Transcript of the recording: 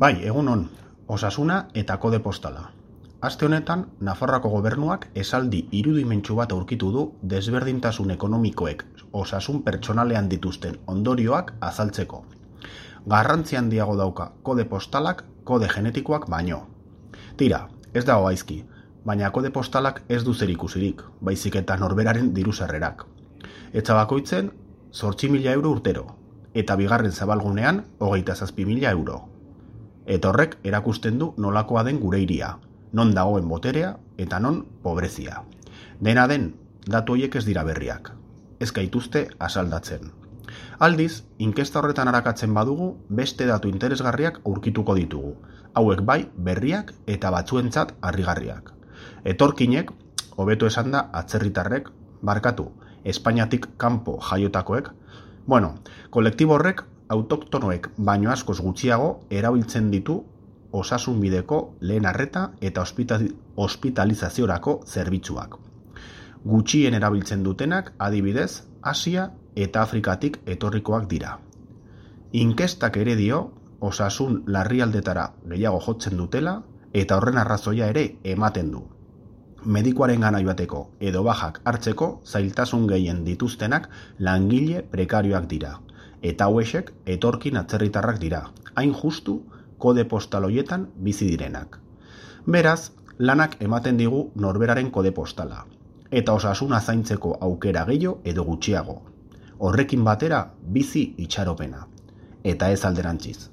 Bai, egunon, osasuna eta kode postala. Aste honetan, Nafarroako gobernuak esaldi irudimentsu bat aurkitu du desberdintasun ekonomikoek osasun pertsonalean dituzten ondorioak azaltzeko. Garrantzi handiago dauka kode postalak kode genetikoak baino. Tira, ez dago gaizki, baina kode postalak ez du zerikusirik, baizik eta norberaren diru-sarrerak. Etxa bakoitzen 8.000 euro urtero, eta bigarren zabalgunean 27.000 euro. Eta horrek erakusten du nolakoa den gure hiria, non dagoen boterea eta non pobrezia. Dena den, datu horiek ez dira berriak, ez gaituzte asaldatzen. Aldiz, inkesta horretan arakatzen badugu, beste datu interesgarriak aurkituko ditugu, hauek bai berriak eta batzuentzat harrigarriak. Etorkinek, hobeto esanda atzerritarrek, barkatu, Espainiatik kanpo jaiotakoek, kolektibo horrek autoktonoek baino askoz gutxiago erabiltzen ditu osasun bideko lehen arreta eta ospitalizaziorako zerbitzuak. Gutxien erabiltzen dutenak adibidez Asia eta Afrikatik etorrikoak dira. Inkestak ere dio osasun larrialdetara gehiago jotzen dutela eta horren arrazoia ere ematen du. Medikuaren gana joateko edo bajak hartzeko zailtasun gehien dituztenak langile prekarioak dira. Eta hauexek etorkin atzerritarrak dira, hain justu kode postal hoietan bizi direnak. Beraz, lanak ematen digu norberaren kode postala, eta osasuna zaintzeko aukera gehiago edo gutxiago. Horrekin batera bizi itxaropena, eta ez alderantziz.